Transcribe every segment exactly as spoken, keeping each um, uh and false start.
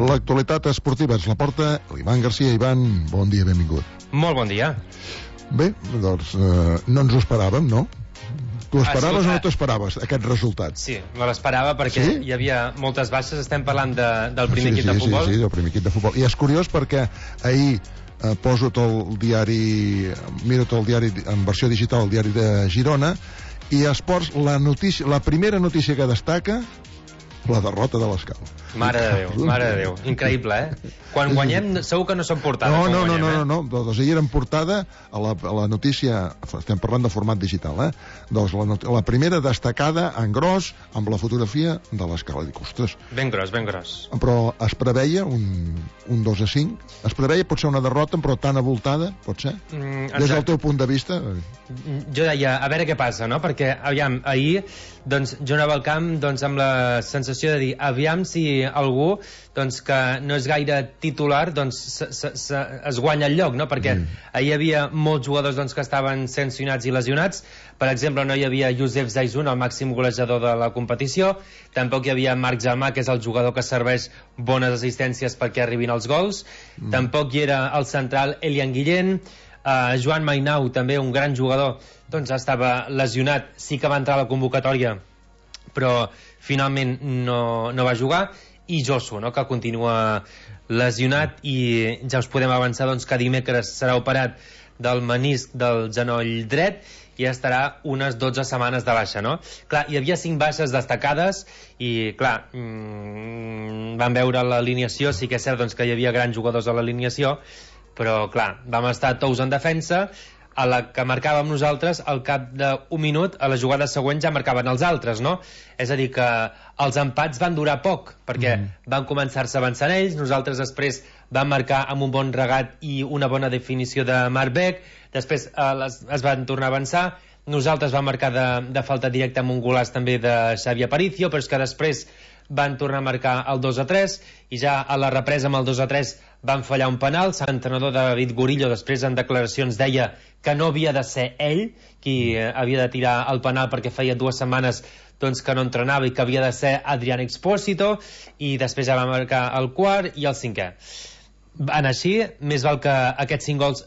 L'actualitat esportiva és la porta l'Ivan Garcia. Ivan, bon dia, benvingut. Molt bon dia. Bé, doncs eh, no ens ho esperàvem, no? Tu esperaves Escolta, o no t'esperaves aquest resultat? Sí, me l'esperava perquè sí? hi havia moltes baixes. Estem parlant de, del primer sí, equip sí, de futbol. Sí, sí, del primer equip de futbol. I és curiós perquè ahir eh, poso tot el diari, miro tot el diari en versió digital, el diari de Girona, i Esports, la, notícia, la primera notícia que destaca, la derrota de l'Escala. Mare de Déu, mare de Déu. Increïble, eh? Quan guanyem, segur que no som portada. No, no, no, guanyem, no, eh? no, no. Doncs ahir eren portada a la, a la notícia, estem parlant de format digital, eh? Doncs la, la primera destacada en gros amb la fotografia de l'Escala. Dic, ostres. Ben gros, ben gros. Però es preveia un, un dos a cinc. Es preveia potser una derrota, però tan avoltada, pot ser? Mm, Des del teu punt de vista? Jo deia, a veure què passa, no? Perquè, aviam, ahir, doncs, jo anava al camp doncs, amb la sensació de dir, aviam si algú doncs, que no és gaire titular doncs, se, se, se, es guanya el lloc, no? Perquè mm. ahir hi havia molts jugadors doncs, que estaven sancionats i lesionats. Per exemple, no hi havia Youssef Zaizun, el màxim golejador de la competició. Tampoc hi havia Marc Jalmà, que és el jugador que serveix bones assistències perquè arribin els gols. Mm. Tampoc hi era el central Elian Guillén. Uh, Joan Mainau, també un gran jugador, doncs estava lesionat. Sí que va entrar a la convocatòria, però finalment no, no va jugar. I Josu, no?, que continua lesionat, i ja us podem avançar doncs, que dimecres serà operat del menisc del genoll dret i estarà unes dotze setmanes de baixa, no? Clar, hi havia cinc baixes destacades i, clar, mmm, vam veure l'alineació. Sí que és cert doncs, que hi havia grans jugadors a l'alineació, però, clar, vam estar tous en defensa. A la que marcàvem nosaltres, al cap d'un minut, a la jugada següent ja marcaven els altres, no? És a dir, que els empats van durar poc, perquè mm. van començar-se avançant ells, nosaltres després vam marcar amb un bon regat i una bona definició de Marc Beck, després eh, les, es van tornar a avançar, nosaltres vam marcar de, de falta directa amb un golaç també de Xavi Aparicio, però és que després van tornar a marcar el dos a tres, i ja a la represa amb el dos a tres van fallar un penal. L'entrenador David Gorillo després en declaracions deia que no havia de ser ell qui eh, havia de tirar el penal perquè feia dues setmanes doncs, que no entrenava, i que havia de ser Adrián Expósito, i després ja va marcar el quart i el cinquè. En així, més val que aquests cinc gols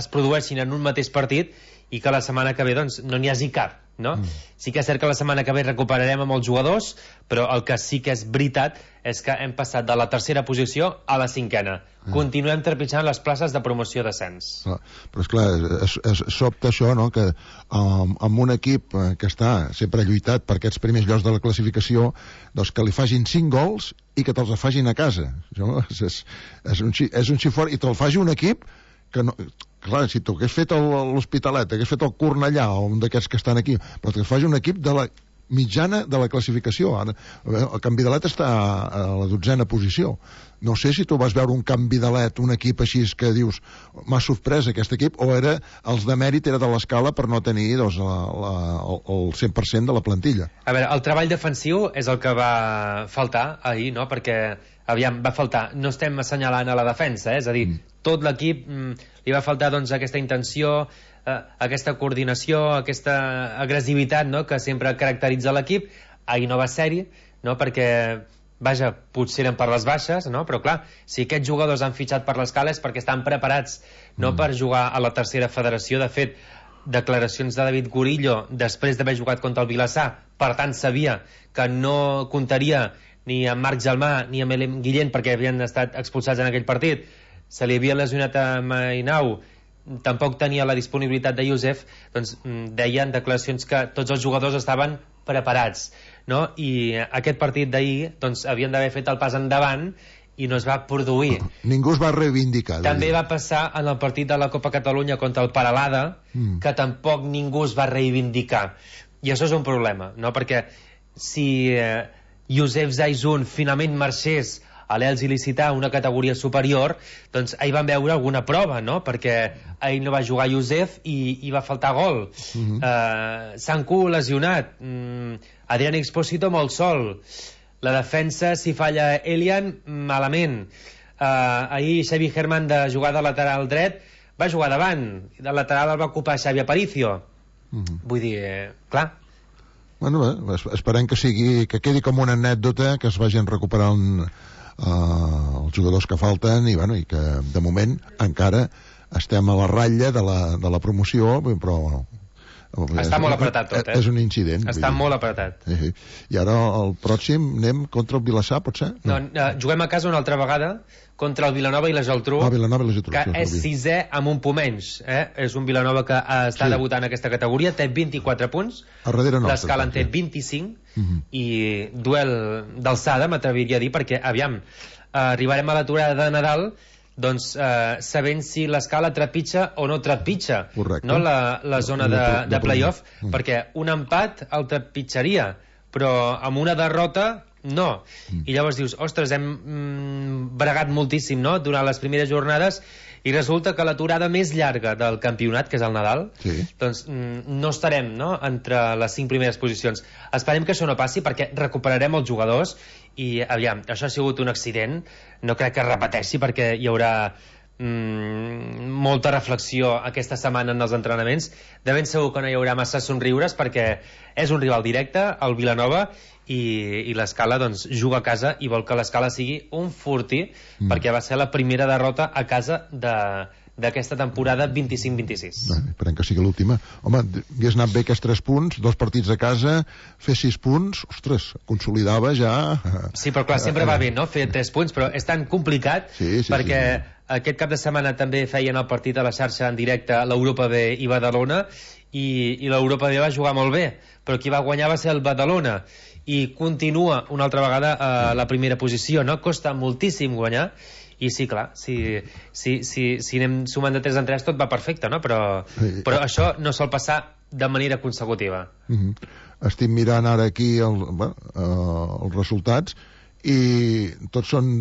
es produeixin en un mateix partit i que la setmana que ve doncs, no n'hi hagi cap, no? Mm. Sí que és cert que la setmana que ve recuperarem amb els jugadors, però el que sí que és veritat és que hem passat de la tercera posició a la cinquena. Mm. Continuem trepitjant les places de promoció d'ascens. Ah, però és clar, és, és, sobta això, no?, que um, amb un equip que està sempre lluitat per aquests primers llocs de la classificació, doncs que li facin cinc gols i que te'ls facin a casa. Això és, és, és, un, és un xifort, i te'l faci un equip que no... Clar, si tu hagués fet l'Hospitalet, hagués fet el Cornellà o un d'aquests que estan aquí, però que faci un equip de la mitjana de la classificació. Ara, el Can Vidalet està a la dotzena posició. No sé si tu vas veure un Can Vidalet, un equip així que dius, m'ha sorprès aquest equip, o era els de mèrit era de l'Escala per no tenir doncs, la, la, el cent per cent de la plantilla. A veure, el treball defensiu és el que va faltar ahir, no?, perquè aviam, va faltar, no estem assenyalant a la defensa, eh? És a dir, mm. tot l'equip mm, li va faltar doncs, aquesta intenció, eh, aquesta coordinació, aquesta agressivitat, no?, que sempre caracteritza l'equip. Ahir no va ser-hi, no?, perquè, vaja, potser eren per les baixes, no?, però clar, si aquests jugadors han fitxat per l'Escala és perquè estan preparats, no mm. per jugar a la tercera federació. De fet, declaracions de David Gorillo després d'haver jugat contra el Vilassar, per tant sabia que no comptaria ni amb Marc Jalmà ni amb Elian Guillén perquè havien estat expulsats en aquell partit. Se li havia lesionat a Mainau, tampoc tenia la disponibilitat de Youssef. Doncs deien declaracions que tots els jugadors estaven preparats, no? I aquest partit d'ahir doncs, havien d'haver fet el pas endavant i no es va produir. Ningú es va reivindicar. També va passar en el partit de la Copa Catalunya contra el Peralada, mm. que tampoc ningú es va reivindicar. I això és un problema, no? Perquè si eh, Youssef Zaizun finalment marxés a l'Elx il·licitar una categoria superior, doncs ahir van veure alguna prova, no? Perquè ahir no va jugar Youssef i, i va faltar gol. Mm-hmm. uh, Sanku lesionat, mm, Adrián Expósito molt sol, la defensa, si falla Elian, malament. uh, ahir Xavi Herman, de jugar de lateral dret, va jugar davant, de lateral el va ocupar Xavi Aparicio. Mm-hmm. Vull dir, eh, clar. Bueno, bé, esperem que sigui, que quedi com una anècdota, que es vagin recuperant uh, els jugadors que falten i, bueno, i que de moment encara estem a la ratlla de la, de la promoció, però està molt apretat tot, eh? És un incident. Està molt apretat. Sí. I ara el pròxim anem contra el Vilassar, pot ser? No, no, juguem a casa una altra vegada contra el Vilanova i la Geltrú, ah, Vilanova i la Geltrú, que sí, és sisè amb un punt menys. Eh? És un Vilanova que està sí. debutant en aquesta categoria, té vint-i-quatre punts, l'Escala en té vint-i-cinc, uh -huh. i duel d'alçada, m'atreviria a dir, perquè, aviam, arribarem a l'aturada de Nadal doncs eh, sabent si l'Escala trepitja o no trepitja, no, la, la zona de, de playoff, mm. perquè un empat el trepitjaria, però amb una derrota no. Mm. I llavors dius, ostres, hem mm, bregat moltíssim, no?, durant les primeres jornades, i resulta que l'aturada més llarga del campionat, que és el Nadal, sí. doncs mm, no estarem, no?, entre les cinc primeres posicions. Esperem que això no passi, perquè recuperarem els jugadors i, aviam, això ha sigut un accident, no crec que es repeteixi, perquè hi haurà mm, molta reflexió aquesta setmana en els entrenaments. De ben segur que no hi haurà massa somriures, perquè és un rival directe, el Vilanova, i, i l'Escala doncs juga a casa i vol que l'Escala sigui un fortí, mm. perquè va ser la primera derrota a casa de d'aquesta temporada vint-i-cinc vint-i-sis. Bé, esperem que sigui l'última. Home, hagués anat bé aquests tres punts, dos partits a casa, fer sis punts, ostres, consolidava ja... Sí, però clar, sempre va bé, no?, fer tres punts, però és tan complicat, sí, sí, perquè sí, sí. aquest cap de setmana també feien el partit a la xarxa en directe l'Europa B i Badalona, i, i l'Europa B va jugar molt bé, però qui va guanyar va ser el Badalona, i continua una altra vegada a la primera posició, no? Costa moltíssim guanyar, i sí, clar, si, si, si, si anem sumant de tres en tres tot va perfecte, no? Però, sí. però això no sol passar de manera consecutiva. Uh-huh. Estic mirant ara aquí el, bueno, uh, els resultats i tots són...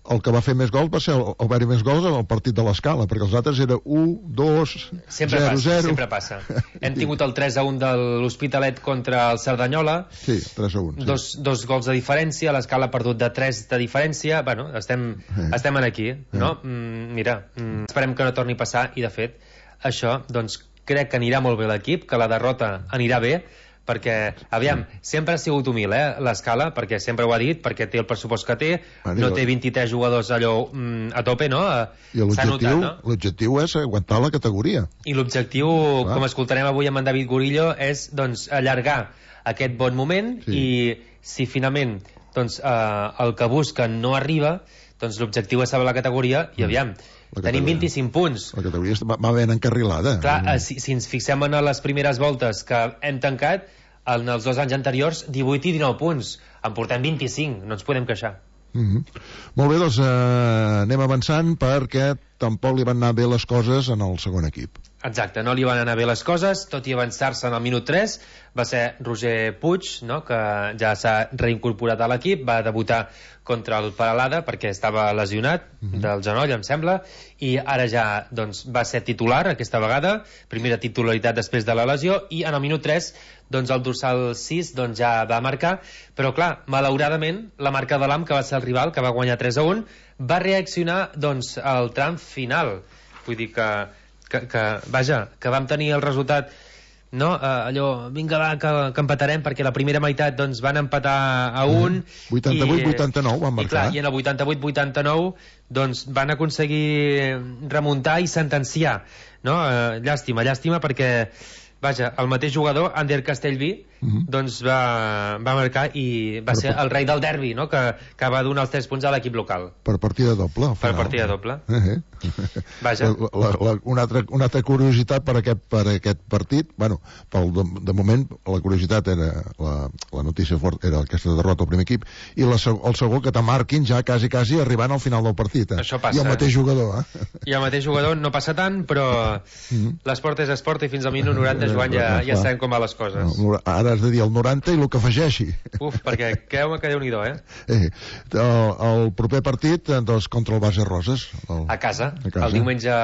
El que va fer més gols va ser el, el haver-hi més gols en el partit de l'Escala, perquè els altres era u, dos, sempre zero, passa, zero. Sempre passa. Hem tingut el tres a un de l'Hospitalet contra el Cerdanyola. Sí, tres a un. Sí. Dos, dos gols de diferència, l'Escala ha perdut de tres de diferència. Bueno, estem, eh. estem aquí, no? Eh. Mm, mira, mm, esperem que no torni a passar, i de fet, això, doncs, crec que anirà molt bé l'equip, que la derrota anirà bé, perquè, aviam, sempre ha sigut humil, eh, l'Escala, perquè sempre ho ha dit, perquè té el pressupost que té, no té vint-i-tres jugadors allò mm, a tope, no? I l'objectiu no? l'objectiu és aguantar la categoria. I l'objectiu, ah. com escoltarem avui amb en David Gorillo, és, doncs, allargar aquest bon moment, sí. i si finalment, doncs, eh, el que busquen no arriba, doncs l'objectiu és salvar la categoria, i aviam, tenim vint-i-cinc punts. La categoria va ben encarrilada. Clar, eh, si, si ens fixem en les primeres voltes que hem tancat, en els dos anys anteriors, divuit i dinou punts. En portem vint-i-cinc, no ens podem queixar. Mm-hmm. Molt bé, doncs eh, anem avançant, perquè tampoc li van anar bé les coses en el segon equip. Exacte, no li van anar bé les coses, tot i avançar-se en el minut tres. Va ser Roger Puig, no?, que ja s'ha reincorporat a l'equip, va debutar contra el Peralada perquè estava lesionat mm-hmm. del genoll, em sembla, i ara ja doncs, va ser titular aquesta vegada, primera titularitat després de la lesió, i en el minut tres doncs, el dorsal sis doncs, ja va marcar, però clar, malauradament la marca de l'A M, que va ser el rival, que va guanyar tres a un, va reaccionar doncs, al tram final. Vull dir que, que, que vaja, que vam tenir el resultat, no? Uh, allò, vinga va, que, que empatarem, perquè la primera meitat doncs, van empatar a un, vuitanta-vuit vuitanta-nou van marcar, i, clar, i en el vuitanta-vuit vuitanta-nou doncs, van aconseguir remuntar i sentenciar, no? Uh, llàstima, llàstima, perquè vaja, el mateix jugador, Ander Castellví, uh-huh. doncs va, va marcar i va per ser el rei del derbi, no?, que, que va donar els tres punts a l'equip local. Per partida doble. Per partida doble. Uh-huh. Vaja. La, la, una, altra, una altra curiositat per aquest, per aquest partit, bueno, pel, de, de moment la curiositat era, la, la notícia fort era aquesta derrota al primer equip, i la, el segon que te marquin ja quasi, quasi arribant al final del partit. Eh? Això passa. I el mateix jugador, eh? I el mateix jugador no passa tant, però uh-huh. l'esport és esport, i fins al minut noranta, Joan, ja, ja sabem com van les coses. Ara has de dir el noranta i el que afegeixi. Uf, perquè creu-me que Déu-n'hi-do, eh? eh el, el proper partit, doncs, contra el Base Roses. El, a, casa, a casa, el diumenge...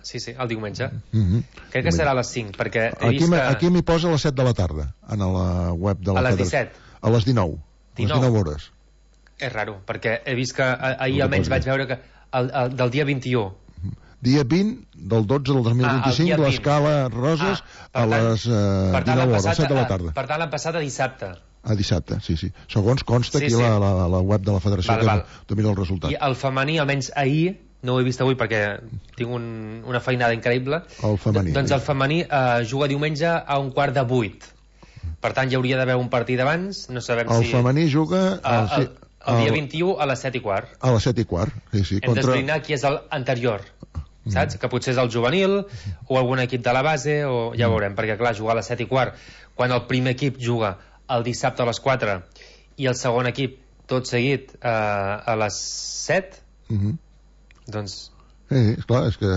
Sí, sí, el diumenge. Mm-hmm. Crec que serà a les cinc, perquè he aquí, vist que... Aquí m'hi posa a les set de la tarda, en la web de la... A les disset? A les dinou. dinou. A les dinou hores. És raro, perquè he vist que ahir almenys vaig veure que el, el, del dia vint-i-u. Dia vint del dotze del dos mil vint-i-cinc, l'Escala Roses, ah, a les uh, dinou hores, a les set de la tarda. Per tant, l'han passat a dissabte. A dissabte, sí, sí. Segons consta sí, aquí sí. La, la, la web de la federació, val, val. que no mira el resultat. I el femení, almenys ahir, no ho he vist avui perquè tinc un, una feinada increïble. El femení. D doncs el femení eh, juga diumenge a un quart de vuit. Per tant, hi hauria d'haver un partit abans, no sabem el si... El femení juga... El, el, el dia vint-i-u a les set i quart. A les set i quart, sí, sí. Hem contra... d'esbrinar qui és l'anterior, saps? Mm. Que potser és el juvenil o algun equip de la base, o ja mm. veurem, perquè clar, jugar a les set i quart, quan el primer equip juga el dissabte a les quatre i el segon equip tot seguit eh, a les set, mm-hmm. doncs... Sí, esclar, és que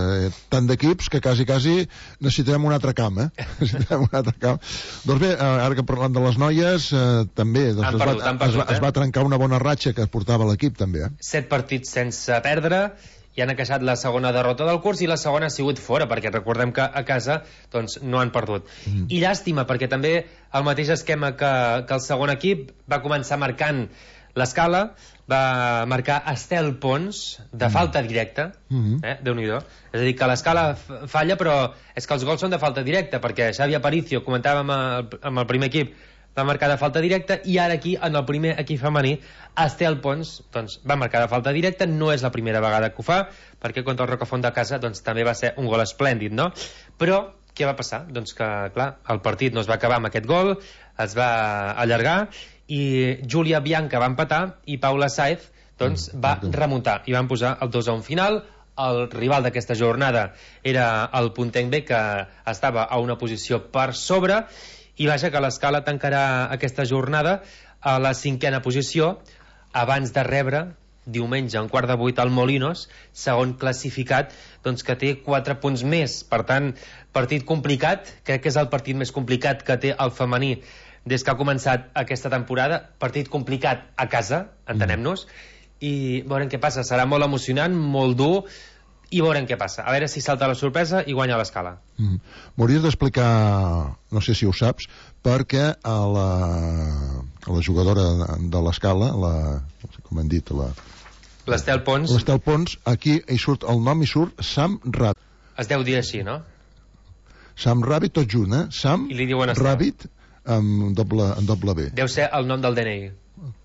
tant d'equips que quasi, quasi necessitarem un altre camp, eh? Necessitarem un altre camp. Doncs bé, ara que parlant de les noies, eh, també doncs es, perdut, va, perdut, es, va, eh? es va trencar una bona ratxa que portava l'equip, també, eh? Set partits sense perdre, i han queixat la segona derrota del curs, i la segona ha sigut fora, perquè recordem que a casa doncs, no han perdut. Mm. I llàstima, perquè també el mateix esquema que, que el segon equip va començar marcant l'escala, va marcar Estel Pons de mm. falta directa, mm-hmm. eh? Déu-n'hi-do. És a dir, que l'escala falla, però és que els gols són de falta directa, perquè Xavi Aparicio, comentàvem amb el, amb el primer equip, va marcar de falta directa, i ara aquí, en el primer equip femení, Estel Pons doncs, va marcar de falta directa. No és la primera vegada que ho fa, perquè contra el Rocafont de casa doncs, també va ser un gol esplèndid, no? Però què va passar? Doncs que, clar, el partit no es va acabar amb aquest gol, es va allargar, i Júlia Bianca va empatar i Paula Saez doncs, va remuntar i van posar el dos a un final. El rival d'aquesta jornada era el Puntenc B, que estava a una posició per sobre, i vaja que l'escala tancarà aquesta jornada a la cinquena posició, abans de rebre diumenge a un quart de vuit al Molinos, segon classificat, doncs que té quatre punts més. Per tant, partit complicat, crec que és el partit més complicat que té el femení des que ha començat aquesta temporada. Partit complicat a casa, entenem-nos, i veurem què passa. Serà molt emocionant, molt dur, i veurem què passa. A veure si salta la sorpresa i guanya l'escala. Mm. M'hauries d'explicar, no sé si ho saps, perquè a la, a la jugadora de l'escala, la, com hem dit, la... L'Estel Pons. L'Estel Pons, aquí hi surt el nom, hi surt Sam Rabbit. Es deu dir així, no? Sam Rabbit, tot junt, eh? Sam I li diuen Estel. Rabbit, amb doble, amb doble B. Deu ser el nom del D N I.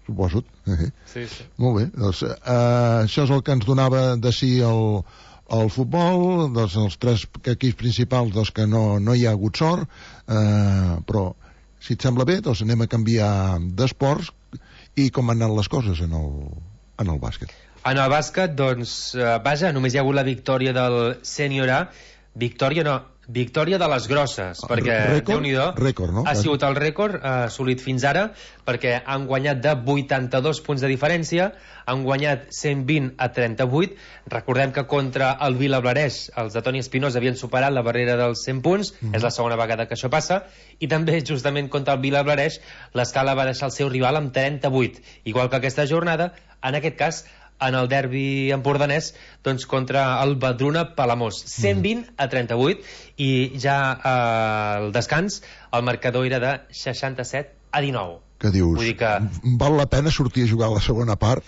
Suposo. Eh. Sí, sí. Molt bé. Doncs, eh, això és el que ens donava de si el, el futbol, doncs, els tres equips principals doncs, que no, no hi ha hagut sort, eh, però si et sembla bé, doncs anem a canviar d'esports. I com han anat les coses en el, en el bàsquet? En el bàsquet, doncs, eh, vaja, només hi ha hagut la victòria del Sènior A. Victòria no, victòria de les grosses, perquè Déu-n'hi-do, no? ha sigut el rècord eh, assolit fins ara, perquè han guanyat de vuitanta-dos punts de diferència, han guanyat cent vint a trenta-vuit. Recordem que contra el Vilablareix els de Toni Espinosa havien superat la barrera dels cent punts, mm. és la segona vegada que això passa, i també justament contra el Vilablareix l'escala va deixar el seu rival amb trenta-vuit, igual que aquesta jornada, en aquest cas en el derbi empordanès, doncs contra el Badruna Palamós, cent vint a trenta-vuit, i ja al descans el marcador era de seixanta-set a dinou. Que dius, Vull dir que... val la pena sortir a jugar a la segona part?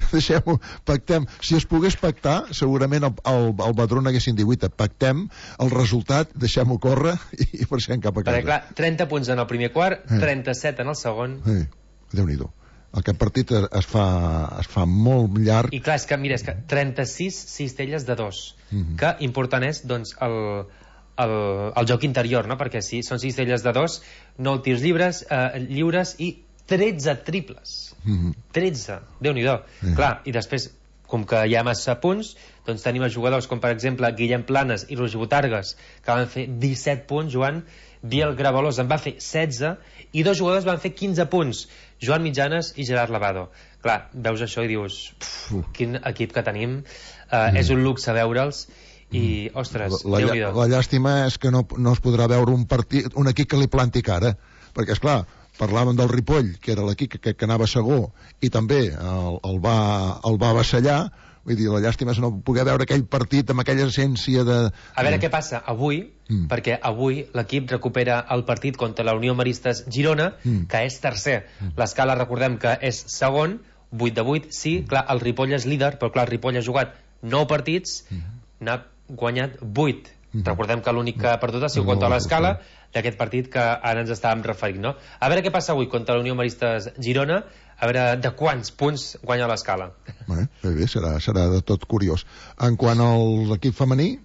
Deixem-ho, pactem. Si es pogués pactar, segurament el, el, el Badruna haguessin divuit, pactem el resultat, deixem-ho córrer i marxem cap a casa. Perquè clar, trenta punts en el primer quart, eh. trenta-set en el segon. Eh. Déu-n'hi-do. Aquest partit es fa, es fa molt llarg. I clar, és que, mira, és que trenta-sis cistelles de dos, mm-hmm. que important és, doncs, el, el, el joc interior, no? Perquè si són cistelles de dos, nou tirs lliures, eh, lliures i tretze triples. Mm-hmm. tretze, Déu-n'hi-do. Mm-hmm. Clar, i després, com que hi ha massa punts, doncs tenim els jugadors com, per exemple, Guillem Planes i Roger Botargues, que van fer disset punts, Joan. Biel Gravalós en va fer setze, i dos jugadors van fer quinze punts, Joan Mitjanes i Gerard Lavado. Clar, veus això i dius, pff, quin equip que tenim, uh, mm. és un luxe veure'ls, i, mm. ostres, la, Déu-n'hi-do. La llàstima és que no, no es podrà veure un partit, un equip que li planti cara, perquè, esclar, parlàvem del Ripoll, que era l'equip que, que anava segur, i també el, el, va, el va avassallar. Vull dir, la llàstima és no poder veure aquell partit amb aquella essència de... A veure què passa avui, mm. perquè avui l'equip recupera el partit contra la Unió Maristes Girona, mm. que és tercer. Mm. L'escala, recordem que és segon, vuit de vuit, sí, mm. clar, el Ripoll és líder, però clar, el Ripoll ha jugat nou partits, mm. n'ha guanyat vuit. Mm-hmm. Recordem que l'únic que ha perdut ha sigut no, contra l'Escala, d'aquest partit que ara ens estàvem referint, no? A veure què passa avui contra la Unió Maristes Girona, a veure de quants punts guanya l'Escala. Bé, bé, bé serà, serà de tot curiós. En quant a l'equip femení...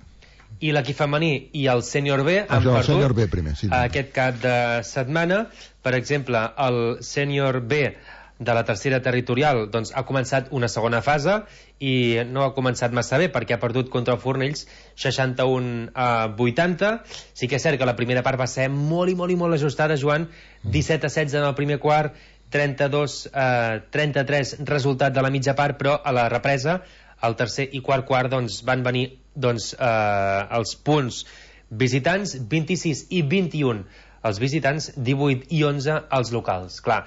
I l'equip femení i el sènior B han ah, perdut el B primer, sí, aquest cap de setmana. Per exemple, el sènior B de la tercera territorial doncs, ha començat una segona fase i no ha començat massa bé perquè ha perdut contra el Fornells seixanta-un a vuitanta. Sí que és cert que la primera part va ser molt i molt i molt ajustada, Joan, disset a setze en el primer quart, trenta-dos a trenta-tres resultat de la mitja part, però a la represa el tercer i quart quart doncs, van venir doncs, eh, els punts visitants, vint-i-sis i vint-i-un els visitants, divuit i onze els locals. Clar,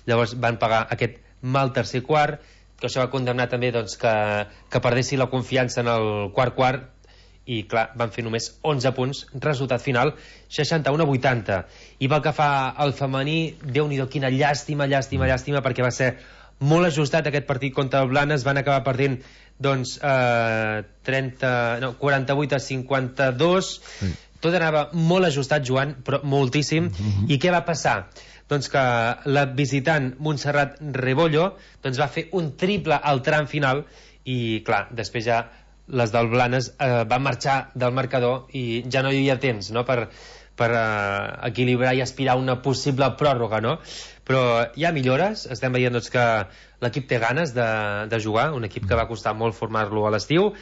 llavors van pagar aquest mal tercer quart, que això va condemnar també doncs, que, que perdessi la confiança en el quart quart, i clar, van fer només onze punts, resultat final seixanta-un a vuitanta. I pel que fa al femení, Déu-n'hi-do, quina llàstima, llàstima, llàstima, perquè va ser molt ajustat aquest partit contra el Blanes, van acabar perdent doncs eh, trenta, no, quaranta-vuit a cinquanta-dos, sí. Tot anava molt ajustat, Joan, però moltíssim. Mm-hmm. I què va passar? Doncs que la visitant Montserrat Rebollo doncs va fer un triple al tram final i clar, després ja les del Blanes eh, van marxar del marcador i ja no hi havia temps, no?, per, per eh, equilibrar i aspirar a una possible pròrroga, no? Però hi ha millores, estem veient doncs, que l'equip té ganes de, de jugar, un equip que va costar molt formar-lo a l'estiu,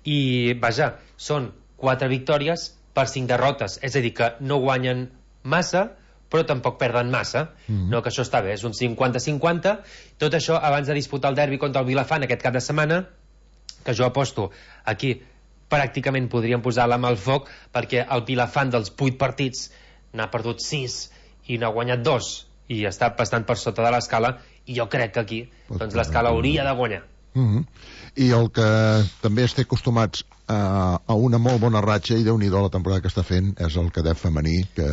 i vaja, són quatre victòries per cinc derrotes, és a dir, que no guanyen massa, però tampoc perden massa, mm-hmm. no, que això està bé, és un cinquanta cinquanta, tot això abans de disputar el derbi contra el Vilafant aquest cap de setmana, que jo aposto aquí pràcticament podríem posar la mà al foc, perquè el Vilafant dels vuit partits n'ha perdut sis i n'ha guanyat dos, i està bastant per sota de l'Escala, i jo crec que aquí doncs, l'Escala hauria de guanyar. Mm-hmm. I el que també estem acostumats a, a una molt bona ratxa, i Déu-n'hi-do la temporada que està fent, és el cadet femení, que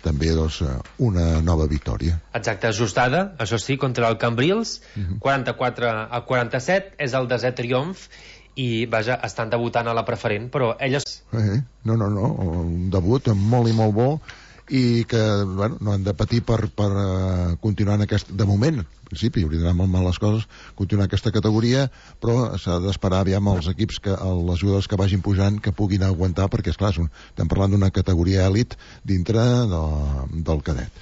també doncs, una nova victòria. Exacte, ajustada, això sí, contra el Cambrils, mm-hmm. quaranta-quatre a quaranta-set, és el desè triomf, i vaja, estan debutant a la preferent, però elles... Eh, no, no, no, un debut molt i molt bo, i que bueno, no han de patir per, per uh, continuar en aquest, de moment, en principi hauria d'anar molt mal les coses, continuar en aquesta categoria, però s'ha d'esperar aviam els equips, que, les jugadors que vagin pujant, que puguin aguantar, perquè esclar, és un, estem parlant d'una categoria èlit dintre de, del cadet.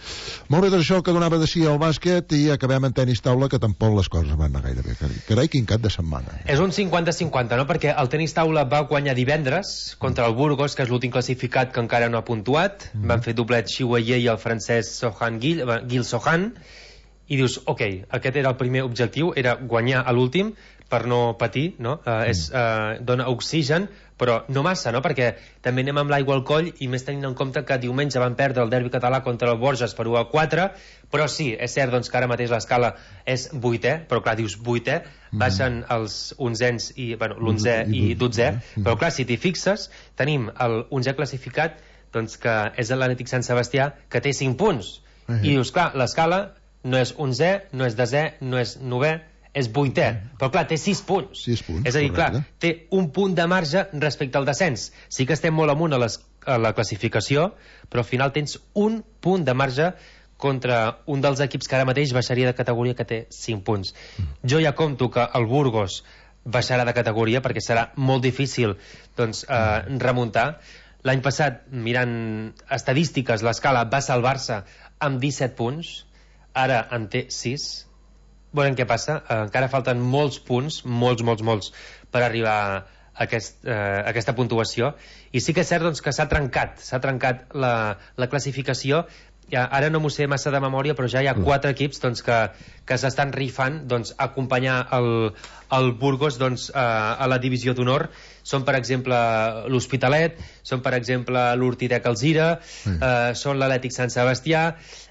Molt bé, doncs això que donava de si al bàsquet, i acabem en tenis taula, que tampoc les coses van anar gaire bé. Carai, quin cap de setmana. És un cinquanta cinquanta, no? Perquè el tenis taula va guanyar divendres contra el Burgos, que és l'últim classificat que encara no ha puntuat, mm. van fer doblet Xiueye i el francès Sohan Gil, Gil Sohan, i dius, ok, aquest era el primer objectiu, era guanyar a l'últim per no patir, no? Uh, és, uh, dona oxigen, però no massa, no? Perquè també anem amb l'aigua al coll, i més tenint en compte que diumenge van perdre el derbi català contra el Borges per u a quatre, però sí, és cert doncs, que ara mateix l'escala és vuitè, però clar, dius vuitè, baixen els onzens i, bueno, l'onzè i dotzè, però clar, si t'hi fixes, tenim el onzè classificat, doncs que és l'Atlètic Sant Sebastià, que té cinc punts, uh-huh. i dius, clar, l'escala no és onzè, no és desè, no és novè, és vuitè, però clar, té sis punts. sis punts, és a dir, correcte. clar, té un punt de marge respecte al descens. Sí que estem molt amunt a, les, a la classificació, però al final tens un punt de marge contra un dels equips que ara mateix baixaria de categoria, que té cinc punts. Mm. Jo ja compto que el Burgos baixarà de categoria, perquè serà molt difícil doncs, eh, remuntar. L'any passat, mirant estadístiques, l'escala va salvar-se amb disset punts, ara en té sis. Veurem què passa, eh, encara falten molts punts, molts, molts, molts, per arribar a, aquest, eh, a aquesta puntuació, i sí que és cert doncs, que s'ha trencat, s'ha trencat la, la classificació. Ja, ara no m'ho sé massa de memòria, però ja hi ha quatre equips doncs, que, que s'estan rifant doncs, acompanyar el, el Burgos doncs, a, a la divisió d'honor. Són, per exemple, l'Hospitalet, són, per exemple, l'Hortitec Alzira, sí. eh, són l'Atlètic Sant Sebastià,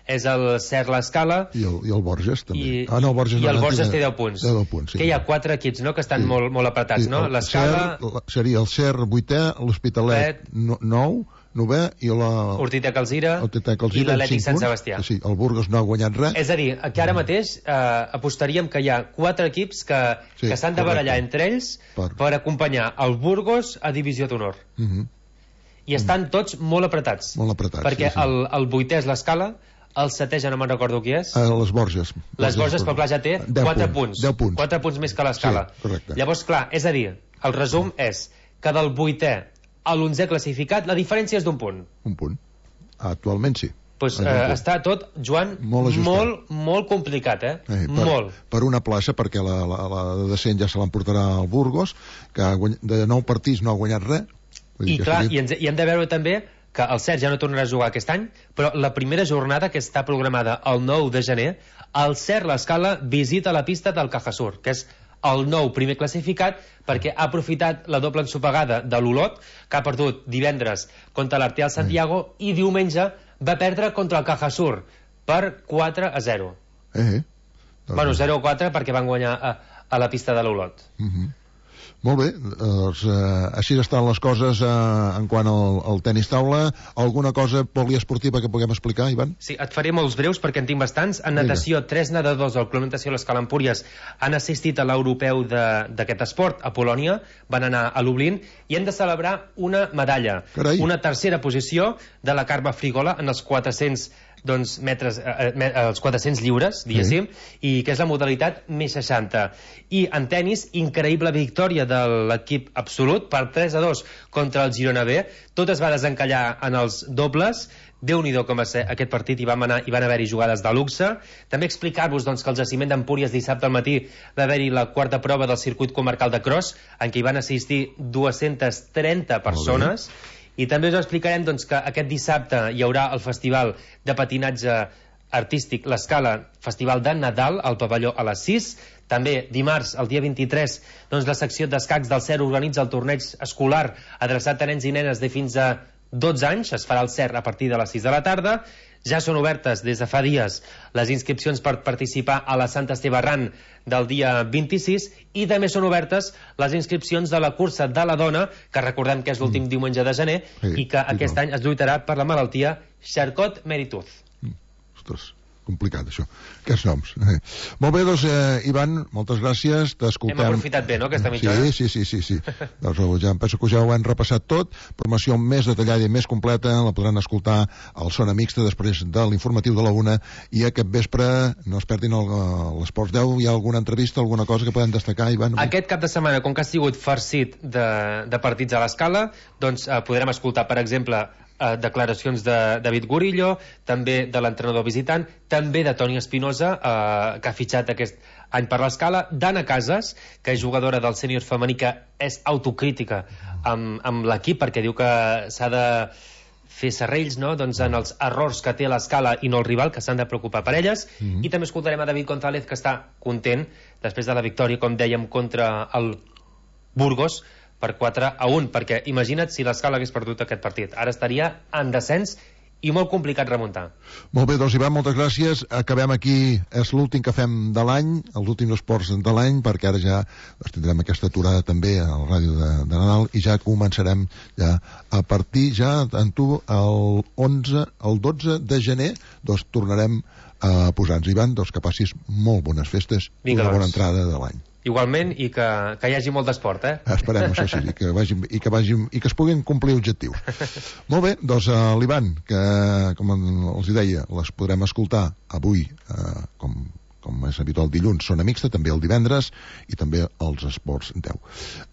és el Cer l'Escala, i el, i el Borges també. I, ah, no, el Borges, i el no, Borges té deu punts. deu punts sí. Que hi ha quatre equips, no?, que estan sí. molt, molt apretats, sí, no? L'Escala... Seria el Cer vuitè, l'Hospitalet nou, novè, i la... Hortitec Alzira i l'Atlètic Sant Sebastià. Sí, el Burgos no ha guanyat res. És a dir, que ara mateix eh, apostaríem que hi ha quatre equips que, sí, que s'han de barallar entre ells per... per acompanyar el Burgos a divisió d'honor. Uh -huh. i estan tots molt apretats. Molt apretats, perquè sí, sí. El, el vuitè és l'Escala, el setè ja no me'n recordo qui és. Uh, les Borges. Les Borges, però clar, ja té quatre punts. deu punts. quatre punts més que l'Escala. Sí, correcte. Llavors, clar, és a dir, el resum és que del vuitè a l'onzè classificat la diferència és d'un punt. Un punt. Actualment sí. Pues, eh, està tot, Joan, molt, molt, molt complicat, eh? eh per, molt. Per una plaça, perquè la, la, la de descent ja se l'emportarà al Burgos, que de nou partits no ha guanyat res. I clar, i, ens, i hem de veure també que el Cert ja no tornarà a jugar aquest any, però la primera jornada, que està programada el nou de gener, el Cert l'Escala visita la pista del Cajasur, que és el nou primer classificat, perquè ha aprofitat la doble ensopegada de l'Olot, que ha perdut divendres contra l'Arteal Santiago, i diumenge va perdre contra el Cajasur per quatre a zero. Eh, eh. Bueno, zero a quatre perquè van guanyar a, a la pista de l'Olot. Uh -huh. Molt bé, doncs, eh, així estan les coses eh, en quant al, al tenis taula. Alguna cosa poliesportiva que puguem explicar, Ivan? Sí, et faré molts breus perquè en tinc bastants. En natació, Vinga. tres nedadors del Club Natació Les Calempúries han assistit a l'europeu d'aquest esport a Polònia, van anar a Lublin i hem de celebrar una medalla. Carai. Una tercera posició de la Carme Frigola en els quatre-cents doncs, metres, eh, eh, els quatre-cents lliures, diguéssim, sí. I que és la modalitat més seixanta. I en tenis, increïble victòria de l'equip absolut per tres a dos contra el Girona B. Tot es va desencallar en els dobles. Déu-n'hi-do com va ser aquest partit, i van, anar, i van haver-hi jugades de luxe. També explicar-vos doncs, que el jaciment d'Empúries dissabte al matí va haver-hi la quarta prova del circuit comarcal de cross, en què hi van assistir dues-centes trenta persones. I també us explicarem doncs, que aquest dissabte hi haurà el festival de patinatge artístic l'Escala, festival de Nadal al pavelló a les sis. També dimarts, el dia vint-i-tres, doncs, la secció d'escacs del C E R organitza el torneig escolar adreçat a nens i nenes de fins a dotze anys. Es farà al C E R a partir de les sis de la tarda. Ja són obertes des de fa dies les inscripcions per participar a la Santa Esteve Arran del dia vint-i-sis, i també són obertes les inscripcions de la cursa de la dona, que recordem que és l'últim mm. diumenge de gener, sí, i que aquest any es lluitarà per la malaltia Charcot-Merituz. Mm. Ostres, complicat això, aquests noms. Eh. Molt bé, doncs, eh, Ivan, moltes gràcies, t'escoltem. Hem aprofitat bé, no?, aquesta mitja hora. Sí, sí, sí, sí, sí. Doncs ja em penso que ja ho hem repassat tot. Formació més detallada i més completa la podran escoltar al Zona Mixta després de l'informatiu de la una, i aquest vespre no es perdin l'Esports deu. Hi ha alguna entrevista, alguna cosa que podem destacar, Ivan? Aquest cap de setmana, com que ha sigut farcit de, de partits a l'Escala, doncs eh, podrem escoltar, per exemple, Eh, declaracions de David Gurillo, també de l'entrenador visitant, també de Toni Espinosa, eh, que ha fitxat aquest any per l'Escala, d'Anna Casas, que és jugadora del sènior femení, que és autocrítica amb, amb l'equip, perquè diu que s'ha de fer serrells, no?, doncs, en els errors que té l'Escala i no el rival, que s'han de preocupar per elles. Mm-hmm. I també escoltarem a David González, que està content després de la victòria, com dèiem, contra el Burgos per quatre a un, perquè imagina't si l'Escala hagués perdut aquest partit. Ara estaria en descens i molt complicat remuntar. Molt bé, doncs, Ivan, moltes gràcies. Acabem aquí, és l'últim que fem de l'any, els últims esports de l'any, perquè ara ja doncs, tindrem aquesta aturada també a la ràdio de, de Nadal, i ja començarem ja a partir ja en tu el onze, el dotze de gener, doncs tornarem a posar-nos. Ivan, doncs que passis molt bones festes i una bona entrada de l'any. Igualment, i que, que hi hagi molt d'esport, eh? Esperem, això sí, i que, vagin, i, que vagin, i que es puguin complir objectius. Molt bé, doncs uh, l'Ivan, que com els deia, les podrem escoltar avui, uh, com, com és habitual dilluns, Zona Mixta, també el divendres, i també els esports deu. Uh,